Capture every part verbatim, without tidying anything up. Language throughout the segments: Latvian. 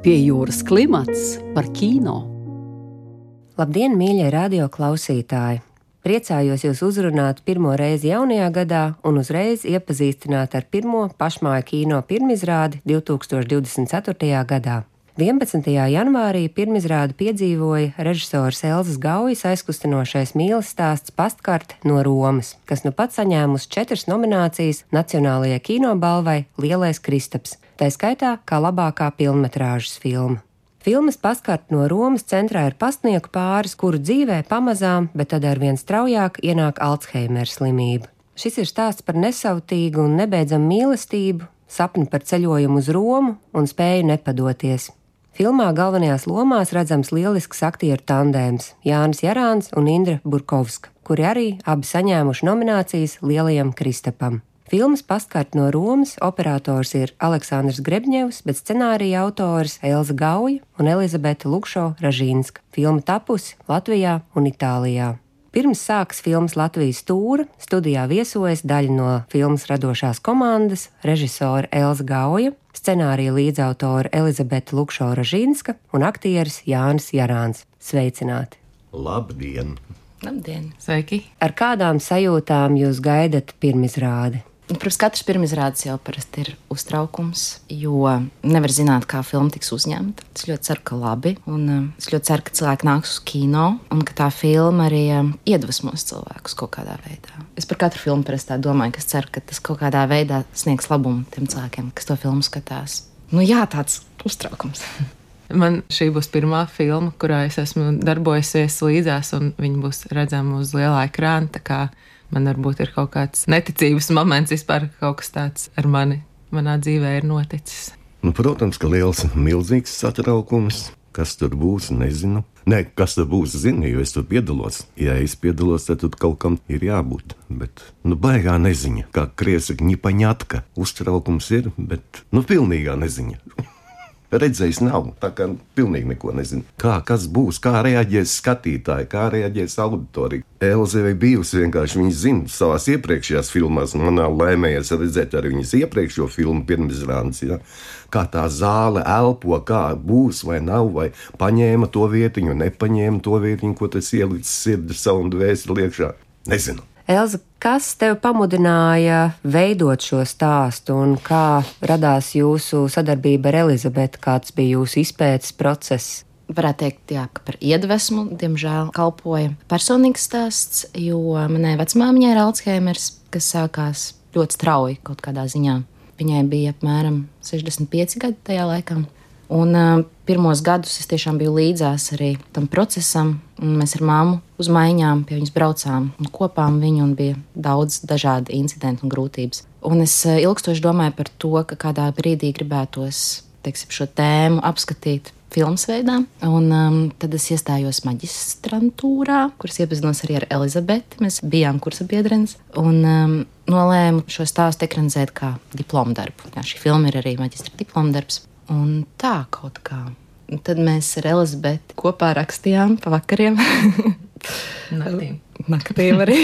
Pie jūras klimats par kino. Labdien, mīļie radio klausītāji! Priecājos jūs uzrunāt pirmo reizi jaunajā gadā un uzreiz iepazīstināt ar pirmo pašmāju kino pirmizrādi divtūkstoš divdesmit ceturtajā gadā. vienpadsmitajā janvārī pirmizrādi piedzīvoja režisors Elzas Gaujas aizkustinošais mīles stāsts Pastkarte no Romas, kas nu pat saņēmusi četras nominācijas Nacionālajai kinobalvai Lielais Kristaps, tai skaitā kā labākā pilnmetrāžas filma. Filmas Pastkarte no Romas centrā ir pastnieku pāris, kuru dzīvē pamazām, bet tad arvien straujāk ienāk Alzheimera slimība. Šis ir stāsts par nesautīgu un nebeidzamu mīlestību, sapni par ceļojumu uz Romu un spēju nepadoties. Filmā galvenajās lomās redzams lielisks aktieru tandēms Jānis Jarāns un Indra Burkovska, kuri arī abi saņēmuši nominācijas Lielajam Kristapam. Filmas Pastkarte no Romas operators ir Aleksandrs Grebņevs, bet scenārija autors Elza Gauja un Elizabete Lukšo-Ražīnska. Filma tapusi Latvijā un Itālijā. Pirms sākas filmas Latvijas tūra, studijā viesojas daļa no filmas radošās komandas, režisora Elza Gauja, scenārija līdzautore Elizabete Lukšo-Ražīnska un aktieris Jānis Jarāns. Sveicināti! Labdien! Labdien! Sveiki! Ar kādām sajūtām jūs gaidat pirmizrādi? Protams, katrs pirmizrādes jau parasti ir uztraukums, jo nevar zināt, kā filma tiks uzņemta. Es ļoti ceru, ka labi, un es ļoti ceru, ka cilvēki nāks uz kino, un ka tā filma arī iedvesmos cilvēkus kaut kādā veidā. Es par katru filmu parasti tā domāju, ka es ceru, ka tas kaut kādā veidā sniegs labumu tiem cilvēkiem, kas to filmu skatās. Nu jā, tāds uztraukums. Man šī būs pirmā filma, kurā es esmu darbojusies līdzās, un viņa būs redzama uz lielā ekrāna, tā kā man varbūt ir kaut kāds neticības moments vispār, ka kaut kas tāds ar mani manā dzīvē ir noticis. Nu, protams, ka liels, milzīgs satraukums. Kas tur būs, nezinu. Nē, kas tur būs, zinu, jo es tur piedalos. Ja es piedalos, tad tur kaut kam ir jābūt. Bet, nu, baigā neziņa. Kā krievi saka, ņipaņatka. Uztraukums ir, bet, nu, pilnīgā neziņa. Redzējis nav, tā kā pilnīgi neko nezinu. Kā, kas būs, kā reaģēs skatītāji, kā reaģēs auditorija. Elze vai bijusi vienkārši, viņa zina savās iepriekšējās filmās, un manā laimējies redzēt arī viņas iepriekšējo filmu pirmizrādes, ja? Kā tā zāle elpo, kā būs vai nav, vai paņēma to vietiņu, nepaņēma to vietiņu, ko tas ielicis sirdi savu un dvēseli iekšā. Nezinu. Elza, kas tev pamudināja veidot šo stāstu un kā radās jūsu sadarbība ar Elizabeti, kāds bija jūsu izpētes process? Varētu teikt, jā, ka par iedvesmu, diemžēl, kalpoja personīgs stāsts, jo manai vecmāmiņai ir Alzheimers, kas sākās ļoti strauji kaut kādā ziņā. Viņai bija apmēram sešdesmit pieci gadi tajā laikā. Un uh, pirmos gadus es tiešām biju līdzās arī tam procesam, un mēs ar māmu uz maiņām pie viņas braucām un kopām viņu, un bija daudz dažādi incidenti un grūtības. Un es uh, ilgstoši domāju par to, ka kādā brīdī gribētos, teiksim, šo tēmu apskatīt filmas veidā, un um, tad es iestājos maģistrantūrā, kuras iepazinos arī ar Elizabeti, mēs bijām kursabiedrenes, un um, nolēmu šo stāstu ekranizēt kā diplomdarbu. Jā, šī filma ir arī maģistra diplomdarbs. Un tā kaut kā. Un tad mēs ar Elizabeti kopā rakstījām pa vakariem. Naktīm. Naktīm arī.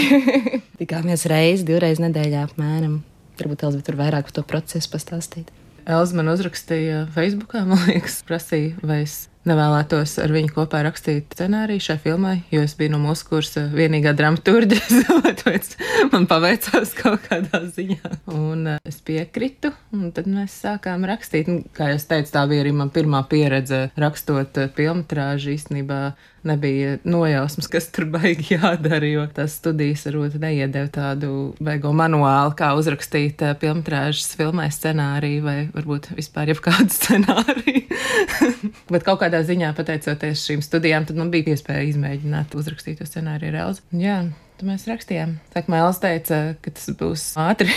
Tikāmies reizi, divreiz nedēļā apmēram. Varbūt Elizabete tur vairāk par to procesu pastāstīt. Elza man uzrakstīja Facebookā, man liekas, prasīja, vai es nevēlētos ar viņu kopā rakstīt scenāriju šai filmai, jo es biju no mūsu kursa vienīgā dramaturģe, tāpēc man paveicās kaut kādā ziņā. Un es piekritu, un tad mēs sākām rakstīt. Un, kā jau es teicu, tā bija arī man pirmā pieredze rakstot pilnmetrāžu. Īstenībā nebija nojausmas, kas tur baigi jādara, jo tās studijas varbūt neiedeva tādu baigo manuālu, kā uzrakstīt pilnmetrāžas filmai scenāriju vai varbūt vispār jebkādu scenāriju. Bet kaut kādā ziņā, pateicoties šīm studijām, tad man bija iespēja izmēģināt uzrakstīt to scenāriju ar Elzu. Jā, tad mēs rakstījām. Sākumā Elza teica, ka tas būs ātri.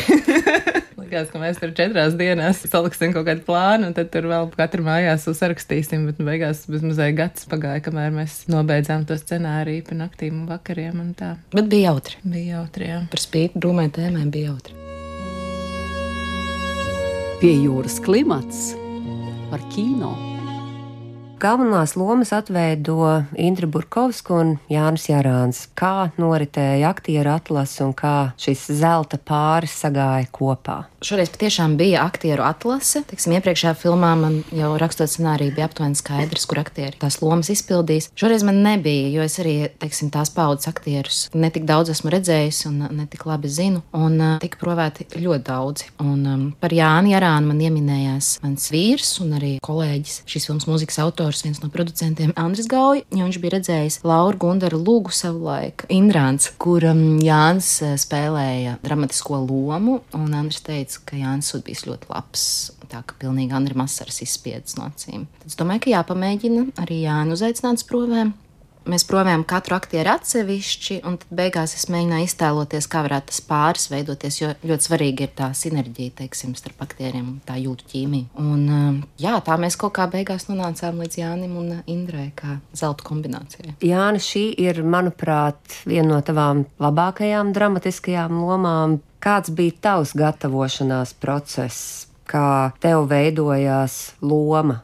Likās, ka mēs tur četrās dienās saliksim kaut kādu plānu, un tad tur vēl katru mājās uzrakstīsim, bet beigās bezmazai gads pagāja, kamēr mēs nobeidzām to scenāriju pa naktīm un vakariem un tā. Bet bija jautri. Bija jautri, jā. Par spīti drūmai tēmai bija jautri. Pie jūras klimats par kino. Galvenās lomas atveido Indra Burkovska un Jānis Jarāns. Kā noritēja aktieru atlase un kā šis zelta pāris sagāja kopā? Šoreiz patiešām bija aktieru atlase. Teiksim, iepriekšējā filmā man jau rakstot scenāriju bija aptuveni skaidrs, kur aktieri tās lomas izpildīs. Šoreiz man nebija, jo es arī, teiksim, tās paudzes aktierus netik daudz esmu redzējis un netik labi zinu. Un uh, tika provēti ļoti daudzi. Un um, par Jāni Jarānu man ieminējās mans vīrs un arī kolēģis, šīs filmas mūzikas autors, viens no producentiem Andris Gauja, jo viņš bija redzējis Lauru Gundaru Lūgu savulaik Indrāns, kur um, Jānis spēlēja dramatisko lomu, un Andris teica, ka Jānis būtu bijis ļoti labs, tā ka pilnīgi Andri Masaras izspiedz no acīm. Tad es domāju, ka jāpamēģina arī Jāni uzaicināt uz provēm. Mēs provējām katru aktieru atsevišķi, un tad beigās es mēģināju iztēloties, kā varētu tas pāris veidoties, jo ļoti svarīgi ir tā sinerģija, teiksim, starp aktieriem, tā jūtu ķīmija. Un jā, tā mēs kaut kā beigās nonācām līdz Jānim un Indrai, kā zelta kombinācijai. Jāni, šī ir, manuprāt, viena no tavām labākajām dramatiskajām lomām. Kāds bija tavs gatavošanās process, kā tev veidojās loma?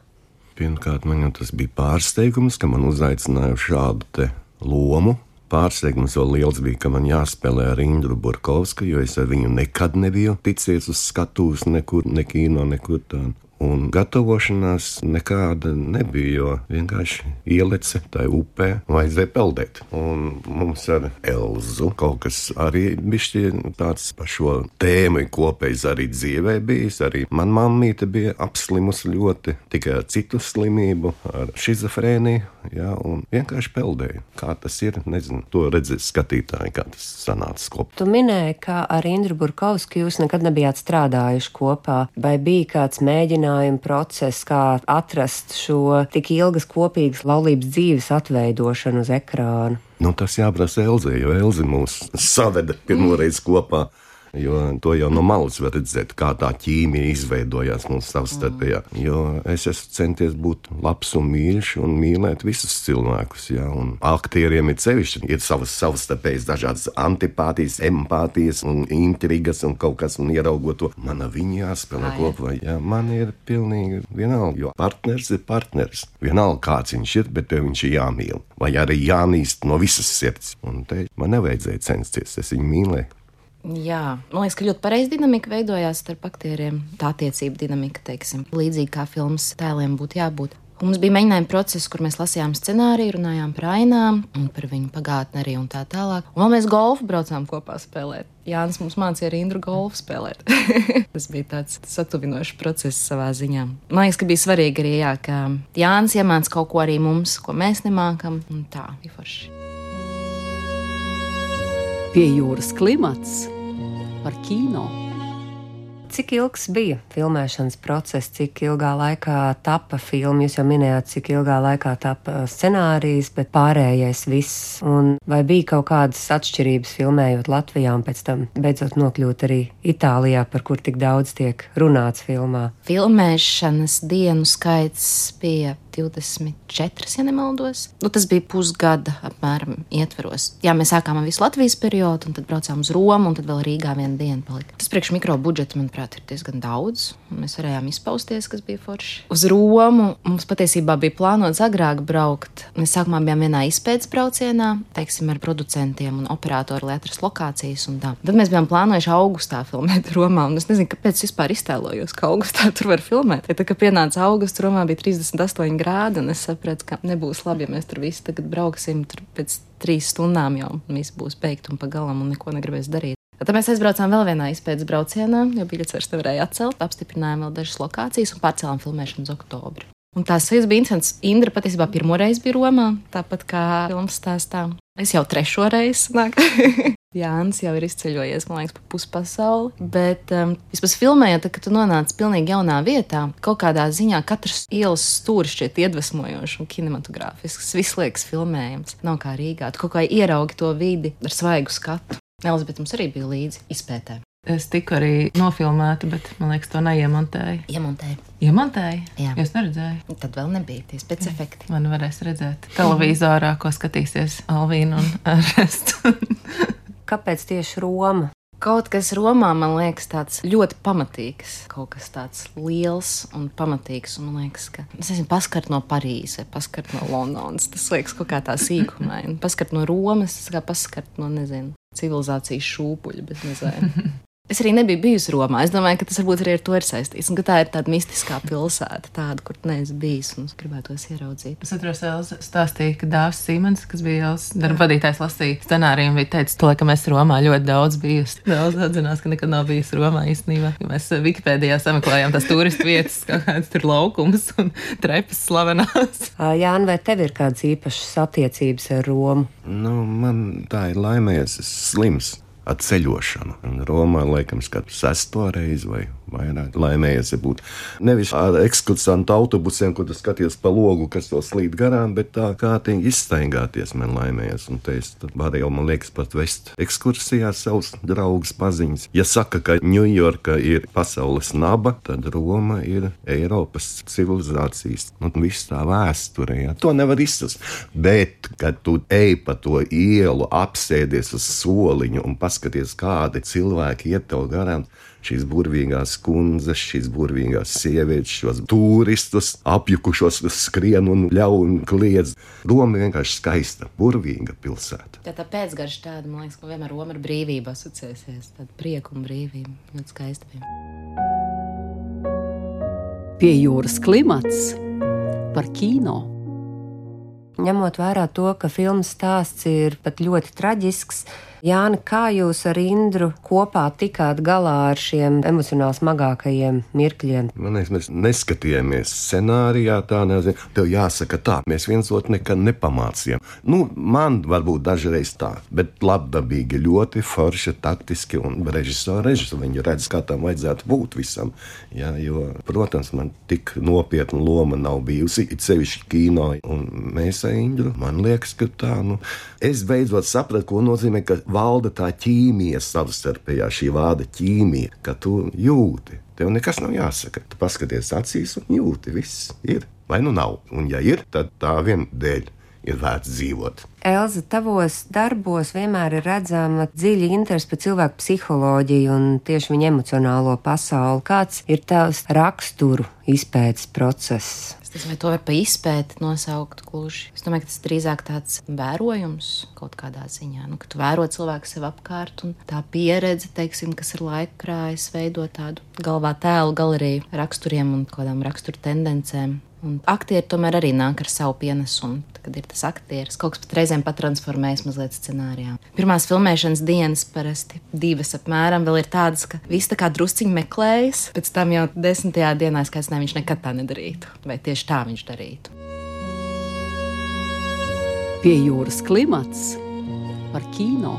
Pirmkārt, man jau tas bija pārsteigums, ka man uzaicināja šādu te lomu. Pārsteigums vēl liels bija, ka man jāspēlē ar Indru Burkovsku, jo es ar viņu nekad nebiju ticies uz skatuves, nekur, ne kino, nekur tā. Un gatavošanās nekāda nebija, jo vienkārši ielece tai upē un vajadzēja peldēt. Un mums ar Elzu kaut kas arī bišķi tāds par šo tēmu kopējs arī dzīvē bijis. Arī man mammīte bija apslimusi ļoti, tikai ar citu slimību, ar šizofrēniju, jā, un vienkārši peldēja. Kā tas ir, nezinu, to redzēt skatītāji, kā tas sanāca kopā. Tu minēji, ka ar Indru Burkovsku jūs nekad nebijāt strādājuši kopā, vai bija kāds mēģinājums process, kā atrast šo tik ilgas kopīgas laulības dzīves atveidošanu uz ekrāna? Nu, tas jāprasa Elzei, jo Elze mūs saveda pirmoreiz kopā. Jo to jau no malas var redzēt, kā tā ķīmija izveidojās mums savstarpējā. Jo es esmu centies būt labs un mīļš un mīlēt visus cilvēkus, jā, un aktieriem ir sevišķi, ir savas savstarpējas dažādas antipātijas, empātijas un intrigas un kaut kas, un ieraugot to, man ar viņu jāspēlē kopā, jā, man ir pilnīgi vienalga, jo partners ir partners. Vienalga, kāds viņš ir, bet tev viņš ir jāmīl, vai arī jāmīst no visas sirds. Un te man nevajadzēja censties, es viņu mīlēju. Jā, man liekas, ka ļoti pareizi dinamika veidojās starp aktieriem. Tā attiecība dinamika, teiksim, līdzīgi kā filmas tēliem būtu jābūt. Un mums bija mēģinājuma process, kur mēs lasījām scenāriju, runājām par ainām un par viņu pagātni arī un tā tālāk. Un vēl mēs golfu braucām kopā spēlēt. Jānis mums mācīja arī Indru golfu spēlēt. Tas bija tāds satuvinošs process savā ziņā. Man liekas, ka bija svarīgi arī, jā, ka Jānis iemāca kaut ko arī mums, ko mēs nemākam, un tā, bija forši. Pie jūras klimats par kino. Cik ilgs bija filmēšanas process, cik ilgā laikā tapa filma? Jūs jau minējāt, cik ilgā laikā tapa scenārijs, bet pārējais viss. Un vai bija kaut kādas atšķirības filmējot Latvijā un pēc tam beidzot nokļūt arī Itālijā, par kur tik daudz tiek runāts filmā? Filmēšanas dienu skaits bija divdesmit četras, ja nemaldos. Nu, tas bija pusgada apmēram ietveros. Jā, mēs sākām ar visu Latvijas periodu, un tad braucām uz Romu, un tad vēl Rīgā vienu dienu palika. Tas priekš mikro budžeta, manuprāt, ir diezgan daudz, un mēs varējām izpausties, kas bija forši. Uz Romu mums patiesībā bija plānots agrāk braukt. Mēs sākumā bijām vienā izpētes braucienā, teiksim, ar producentiem un operatoru, lai atrast lokācijas un tā. Tad mēs bijām plānojuši augustā filmēt Romā, un es nezinu, kāpēc vispār iztēlojos, ka augustā tur var filmēt. Ja tā, ka pienāca augusts, Romā bija trīsdesmit astoņi grādi, un es sapratu, ka nebūs labi, ja mēs tur visi tagad brauksim, tur pēc trīs stundām jau viss būs beigt un pa galam un neko negribēs darīt. Tad mēs aizbraucām vēl vienā izpētes braucienā, jo biļetes vairs nevarēja atcelt, apstiprinājām vēl dažas lokācijas un pārcēlām filmēšanu uz oktobri. Un tās sajūtas bija interesants. Indra patiesībā pirmoreiz bija Romā, tāpat kā filmas stāstā. Es jau trešo reizi nāku. Jānis jau ir izceļojies, man liekas, pa puspasauli, bet um, vispār filmējot, kad tu nonāc pilnīgi jaunā vietā, kaut kādā ziņā katrs ielas stūris šķiet iedvesmojošs un kinematogrāfisks, viss liekas filmējams. Nav kā Rīgā, tu kaut kā ieraugi to vidi ar svaigu skatu. Elizabete mums arī bija līdzi izpētē. Es tiku arī nofilmēta, bet, man liekas, to neiemontēju. Iemontēju. Iemontēju? Jā. Es neredzēju. Tad vēl nebija tie specifekti. Man varēs redzēt televīzorā, ko skatīsies Alvīna un restu. Kāpēc tieši Roma? Kaut kas Romā, man liekas, tāds ļoti pamatīgs. Kaut kas tāds liels un pamatīgs. Un man liekas, ka es esmu paskart no Parīzes, paskart no Londonas. Tas liekas kaut kā tā sīkumā. Paskart no Romas, tas kā paskart no, nezinu, civilizācijas šūpuļa, bet nezinu. Es arī nebiju bijusi Romā. Es domāju, ka tas varbūt arī ar to ir saistīts. Un ka tā ir tāda mistiskā pilsēta, tāda, kur neesmu bijis un gribētos ieraudzīt. Es atceros, Elza stāstīja, ka Dāvis Sīmans, kas bija Elzas darba vadītājs, lasīja scenāriju un bija teicis, to, ka mēs Romā ļoti daudz bijusi. Elza atzinās, ka nekad nav bijusi Romā īstenībā. Mēs Wikipēdijā sameklējām tās turistu vietas, kā kāds tur laukums un trepas slavenās. Jāni, vai tev ir kādas īpašas attiecības ar Romu? Nu, man tā ir laimējies, es slims ar ceļošanu. Un Romā, laikam, skatu sesto reizi vai vairāk laimējies, ja būtu nevis ar ekskursantu autobusiem, kur tu skaties pa logu, kas to slīd garām, bet tā kārtīgi izstaigāties man laimējies. Un te es varu jau, man liekas, pat vest ekskursijā savus draugus paziņas. Ja saka, ka Ņujorka ir pasaules naba, tad Roma ir Eiropas civilizācijas. Nu, viss tā vēsture, ja. To nevar izsast. Bet, kad tu ej pa to ielu, apsēdies uz soliņu un paskaties, kādi cilvēki iet tev garām, šīs burvīgās kundzes, šīs burvīgās sievietes, šos turistus, apjukušos skrien un ļauj un kliedz. Roma vienkārši skaista, burvīga pilsēta. Tā tā pēcgarša tāda, man liekas, ka vienmēr Roma ar brīvību asociēsies. Tāda prieku un brīvība. Ļoti skaista bija. Pie jūras klimats par kino. Ņemot vērā to, ka filmas stāsts ir pat ļoti traģisks, Jāni, kā jūs ar Indru kopā tikāt galā ar šiem emocionāli smagākajiem mirkļiem? Man liekas, mēs neskatījāmies scenārijā, tā nezinu, tev jāsaka tā, mēs viens otru nekad nepamācījām. Nu, man varbūt dažreiz tā, bet labdabīgi, ļoti forši, taktiski un režisori, režisori, viņi redz, kā tam vajadzētu būt visam. Ja, jo, protams, man tik nopietna loma nav bijusi, it sevišķi kino, un mēs ar Indru, man liekas, ka tā, nu, es beidzot sapratu, ko nozīmē, ka valda tā ķīmija savstarpējā, šī vārda ķīmija, ka tu jūti. Tev nekas nav jāsaka. Tu paskaties acīs un jūti, viss ir. Vai nu nav? Un ja ir, tad tā vien dēļ ir vērts dzīvot. Elza, tavos darbos vienmēr ir redzama dziļa interese par cilvēku psiholoģiju un tieši viņa emocionālo pasauli. Kāds ir tavs raksturu izpētes process? Es domāju, to var pa izpēti nosaukt gluži. Es domāju, ka tas drīzāk tāds vērojums kaut kādā ziņā. Nu, ka tu vēro cilvēku sev apkārt un tā pieredze, teiksim, kas ir laika krājas, veido tādu galvā tēlu galeriju raksturiem un kādām raksturu tendencēm. Un aktieri tomēr arī nāk ar savu pienesumu, kad ir tas aktieris. Kaut kas pat reizēm patransformējas mazliet scenārijā. Pirmās filmēšanas dienas parasti divas apmēram vēl ir tādas, ka viss tā kā drusciņi meklējas, pēc tam jau desmitajā dienā es kāds ne, viņš nekad tā nedarītu, vai tieši tā viņš darītu. Pie jūras klimats par kino.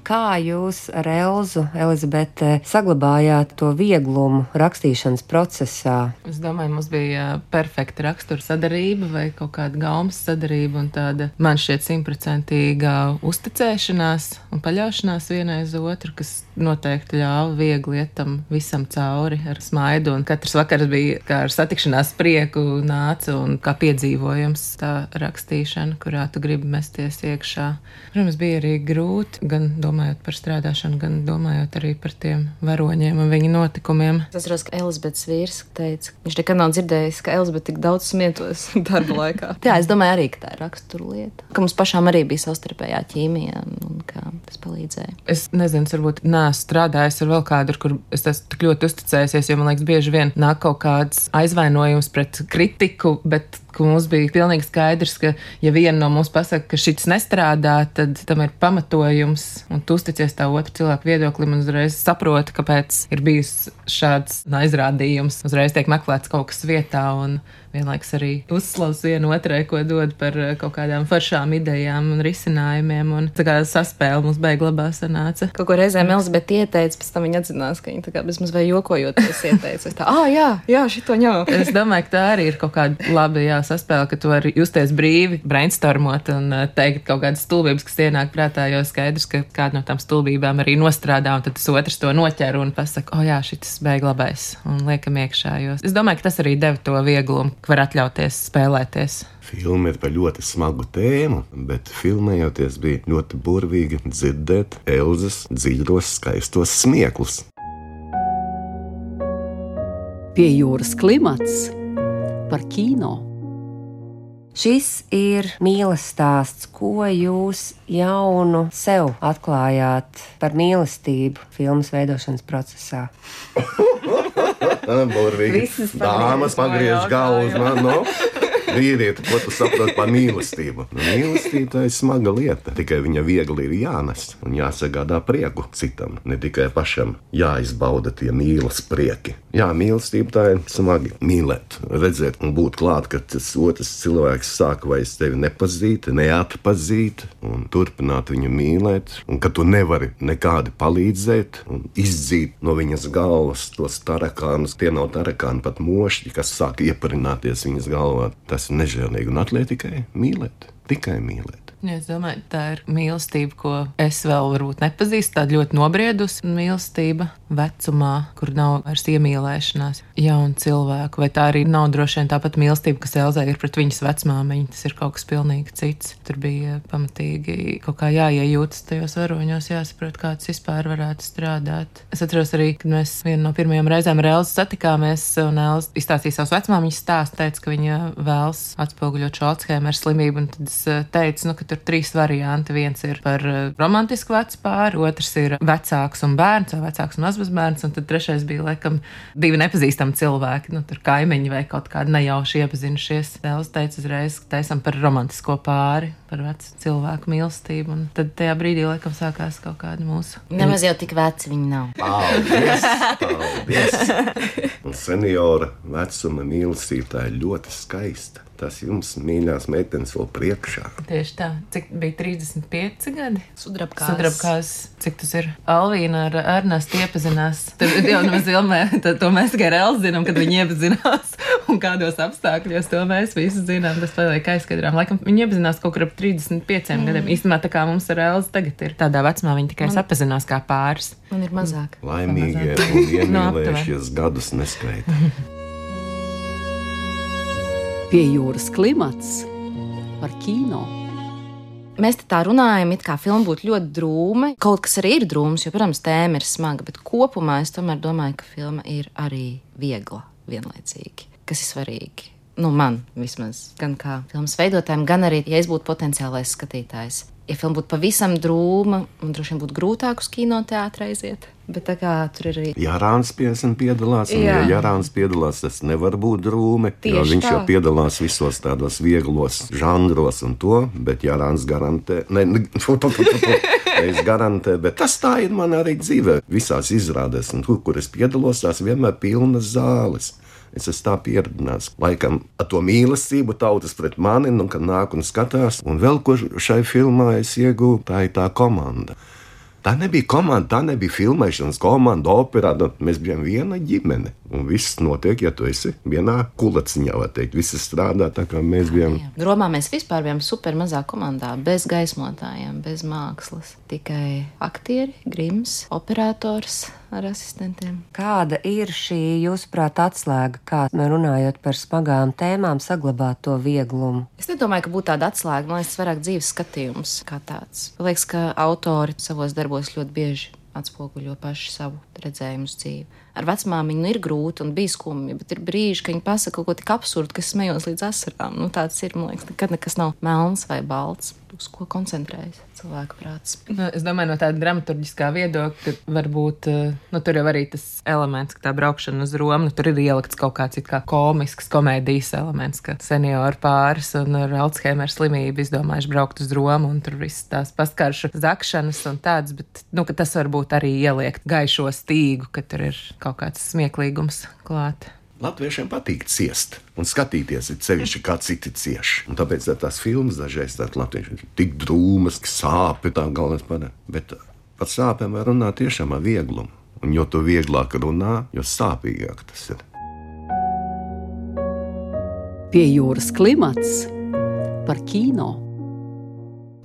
Kā jūs ar Elzu, Elizabete, saglabājāt to vieglumu rakstīšanas procesā? Es domāju, mums bija perfekta rakstura sadarība vai kaut kāda gaumas sadarība un tāda, man šķiet, simtprocentīgā uzticēšanās un paļaušanās vienai uz otru, kas noteikti ļāva viegli iet tam visam cauri ar smaidu. Un katrs vakars bija kā ar satikšanās prieku nāca un kā piedzīvojums tā rakstīšana, kurā tu gribi mesties iekšā. Protams, bija arī grūti, gan domājot par strādāšanu, gan domājot arī par tiem varoņiem un viņu notikumiem. Es atceros, ka Elizabetes vīrs teica, viņš nekad nav dzirdējis, ka Elizabete tik daudz smietos darba laikā. Jā, es domāju arī, ka tā ir rakstura lieta. Ka mums pašām arī bija savstarpējā ķīmija un kā tas palīdzēja. Es nezinu, varbūt neesmu strādājis ar vēl kādu, kur es esmu tik ļoti uzticējusies, jo man liekas, bieži vien nāk kaut kāds aizvainojums pret kritiku, bet ka mums bija pilnīgi skaidrs, ka ja viena no mums pasaka, ka šis nestrādā, tad tam ir pamatojums un tu uzticies tā otru cilvēku viedoklim un uzreiz saproti, kāpēc ir bijis šāds aizrādījums. Uzreiz tiek meklēts kaut kas vietā un vienlaiks arī uzslavs vienu otrai, ko dod par kaut kādām foršām idejām un risinājumiem. Un tā kā saspēle mums beig labā sanāca. Kaut ko reizēm Elizabete ieteica, pēc tam viņa atzinās, ka viņa tā kā bez mums vai jokojoties ieteica. Es tā, ā, jā, jā, šito ņau. Es domāju, ka tā arī ir kaut kāda labi, jā, saspēle, ka tu vari justies brīvi, brainstormot un teikt kaut kādas stulbības, kas ienāk prātā, jo skaidrs, ka kāda no tām stulbībām arī nostrādā, un tad tas otrs to noķer un pasaka, o jā, šitas beig labais, un liekam iekšā. Jo es domāju, ka tas arī deva to vieglumu, ka var atļauties spēlēties. Filma ir par ļoti smagu tēmu, bet filmējoties bija ļoti burvīgi dzirdēt Elzas dziļos, skaistos smieklus. Pie jūras klimats par kino. Šis ir mīles stāsts, ko jūs jaunu sev atklājāt par mīlestību filmas veidošanas procesā. Burvīgi. Dāmas pagriež galvu uz mani, no? Vīrieti, ko tu saproti par mīlestību? Nu, mīlestība tā ir smaga lieta, tikai viņa viegli ir jānes un jāsagādā prieku citam, ne tikai pašam jāizbauda tie mīlas prieki. Jā, mīlestība tā ir smagi mīlēt, redzēt un būt klāt, ka tas otrs cilvēks sāk vairs tevi nepazīt, neatpazīt un turpināt viņu mīlēt, un ka tu nevari nekādi palīdzēt un izdzīt no viņas galvas tos tarakānus, tie nav tarakāni, pat mošķi, kas sāk ieparināties viņas galvā. Tas ir nežēlīgi un atliek tikai mīlēt, tikai mīlēt. Ja, es domāju, tā ir mīlestība, ko es vēl varbūt nepazīstu, tāda ļoti nobriedusi mīlestība vecumā, kur nav vairs iemīlēšanās jaunu cilvēku, vai tā arī nav droši vien tāpat mīlestība, kas Elzai ir pret viņas vecmāmiņu, tas ir kaut kas pilnīgi cits. Tur bija pamatīgi kaut kā jāiejūtas tajos varoņos, jāsaprot, kā tas vispār varētu strādāt. Es atceros arī, kad mēs vienu no pirmajām reizēm ar Elzu satikāmies, un Elza izstāstīja savus vecmāmiņas stāstu, teica, ka viņa vēlas atspoguļot šo Alzheimera slimību, un tad es teicu, nu, ka tur trīs varianti. Viens ir par romantisku vecu pāri, otrs ir vecāks un bērns, vai vecāks un mazbērns, un tad trešais bija, laikam, divi nepazīstami cilvēki, nu, tur kaimiņi vai kaut kādi nejauši iepazinušies. Elza teica uzreiz, ka taisam par romantisko pāri, par vecu cilvēku mīlestību, un tad tajā brīdī, laikam, sākās kaut kāda mūsu. Nemaz jau tik veci viņi nav. Paldies, paldies. Un seniora vecuma mīlestība tā ir ļoti skaista. Tas jums, mīļās meitenes, vēl priekšā. Tieši tā. Cik bija trīsdesmit pieci gadi? Sudrabkās. Sudrabkās. Cik tas ir? Alvīna ar Ernestu iepazinās. Tur jau nemaz ilmē, to mēs tikai ar Elzu zinām, kad viņi iepazinās. Un kādos apstākļos to mēs visi zinām. Tas paliek aizskatām. Laikam viņi iepazinās kaut kur ap trīsdesmit pieciem mm. gadiem. Īstenībā tā kā mums ar Elzu tagad ir tādā vecumā, viņi tikai Man... sapazinās kā pāris. Man ir mazāk. Laimīgie un iemīlējušies gadus neskaita. Pie jūras klimats par kino. Mēs te tā runājam, it kā filma būtu ļoti drūma. Kaut kas arī ir drūms, jo, protams, tēma ir smaga, bet kopumā es tomēr domāju, ka filma ir arī viegla vienlaicīgi, kas ir svarīgi. Nu, man vismaz, gan kā filmas veidotājiem, gan arī, ja es būtu potenciālais skatītājs. Ja filma būtu pavisam drūma, man droši vien būtu grūtāk uz kinoteātri aiziet. Bet tā kā tur ir arī... Jārāns piesam piedalās, un Jā. ja Jārāns piedalās, tas nevar būt drūmi, Tieši jo viņš tā. jau piedalās visos tādos vieglos žanros un to, bet Jārāns garantē... Ne, ne, es garantē, bet tas tā ir man arī dzīvē. Visās izrādēs, un tur, kur es piedalos, tās vienmēr pilnas zāles. Es esmu tā pieredzināts. Laikam ar to mīlestību tautas pret mani, un kad nāk un skatās. Un vēl, ko šai filmā es iegūtu, tā ir tā komanda. Tā nebija komanda, tā nebija filmēšanas komanda, operā. Mēs bijām viena ģimene. Un viss notiek, ja tu esi vienā kulaciņā, var teikt. Visi strādā tā, kā mēs bijām. Romā mēs vispār bijām super mazā komandā, bez gaismotājiem, bez mākslas. Tikai aktieri, grims, operators ar asistentiem. Kāda ir šī, jūsuprāt, atslēga, kā runājot par smagām tēmām, saglabāt to vieglumu? Es nedomāju, ka būtu tāda atslēga, man liekas, vairāk dzīves skatījums kā tāds. Man liekas, ka autori savos darbos ļoti bieži atspoguļo paši savu redzējumu uz dzīvi. Ar vecmāmiņu nu, ir grūti un bija skumji, bet ir brīži, ka viņi pasaka kaut ko tik absurdu, kas smējos līdz asarām. Nu, tāds ir, man liekas, nekad nekas nav melns vai balts, uz ko koncentrējas cilvēku prāts. Nu, es domāju, no tāda dramaturģiskā viedokļa, ka varbūt, nu, tur jau arī tas elements, ka tā braukšana uz Romu, nu, tur ir ielikts kaut kāds it kā komisks komēdijas elements, ka senioru pāris un ar Alzheimera slimību izdomājuši braukt uz Romu, un tur viss tās paskaršu zakšanas un tāds, bet, nu, ka tas varbūt arī ieliekt gaišo stīgu, ka tur ir kaut kāds smieklīgums klāt. Latviešiem patīk ciest un skatīties, ir sevišķi kā citi cieši. Un tāpēc tā tās filmas dažreiz tādas latvieši ir tik drūmas, ka sāpi tā galvenais padara. Bet par sāpēm var runāt tiešām ar vieglumu. Un jo tu vieglāk runā, jo sāpīgāk tas ir. Pie jūras klimats par kino.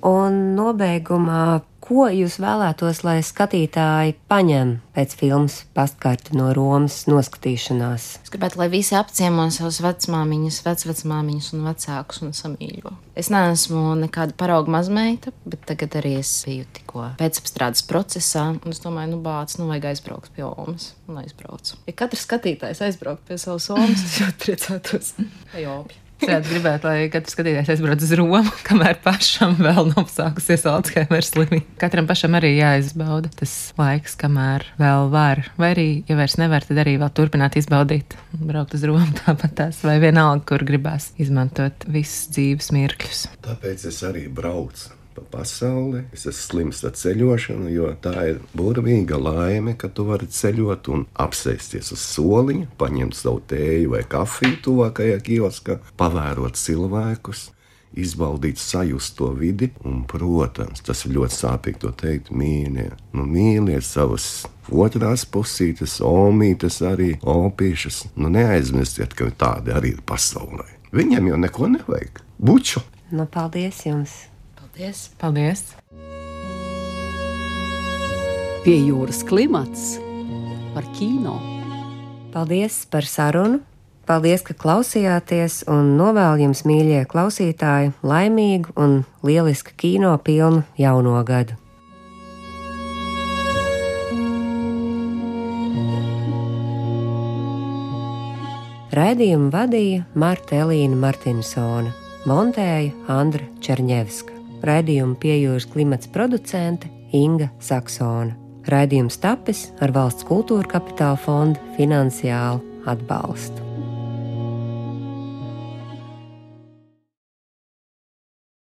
Un nobeigumā, Ko jūs vēlētos, lai skatītāji paņem pēc filmas Pastkarti no Romas noskatīšanās? Es gribētu, lai visi apciemo savus vecmāmiņas, vecvecmāmiņas un vecākus un samīļo. Es neesmu nekāda parauga mazmeita, bet tagad arī es biju tikko pēcapstrādes procesā, un es domāju, nu bāc, nu vajag aizbraukt pie Omas, un aizbraucu. Ja katrs skatītājs aizbraukt pie savas Omas, es jau priecātos. Vai Opja. Es gribētu, lai katrs skatītājs aizbrauc uz Romu, kamēr pašam vēl nav sākusies Alzheimer slimība. Katram pašam arī jāizbauda tas laiks, kamēr vēl var. Vai arī, ja vairs nevar, tad arī vēl turpināt izbaudīt. Braukt uz Romu tāpat tās, vai vienalga, kur gribās izmantot visus dzīves mirkļus. Tāpēc es arī braucu pa pasauli. Es esmu slims ar ceļošanu, jo tā ir burvīga laime, ka tu vari ceļot un apsēsties uz soliņa, paņemt savu tēju vai kafiju tuvākajā kioskā, pavērot cilvēkus, izbaudīt, sajust to vidi, un, protams, tas ir ļoti sāpīgi to teikt, mīļie. Nu, mīliet savas otrās pusītes, omītes arī, opīšas. Nu, neaizmirstiet, ka tādi arī ir pasaulē. Viņam jau neko nevajag. Buču! Nu, paldies jums! Paldies! Paldies! Pie jūras klimats par kino. Paldies par sarunu! Paldies, ka klausījāties, un novēlu jums, mīļie klausītāji, laimīgu un lielisku kino pilnu jauno gadu! Raidījumu vadīja Marta Elīna Martinsone, montēja Andra Čerņevska. Raidījumu Pie jūras klimats producente Inga Saksone. Raidījums tapis ar Valsts kultūra kapitāla fonda finansiālu atbalstu.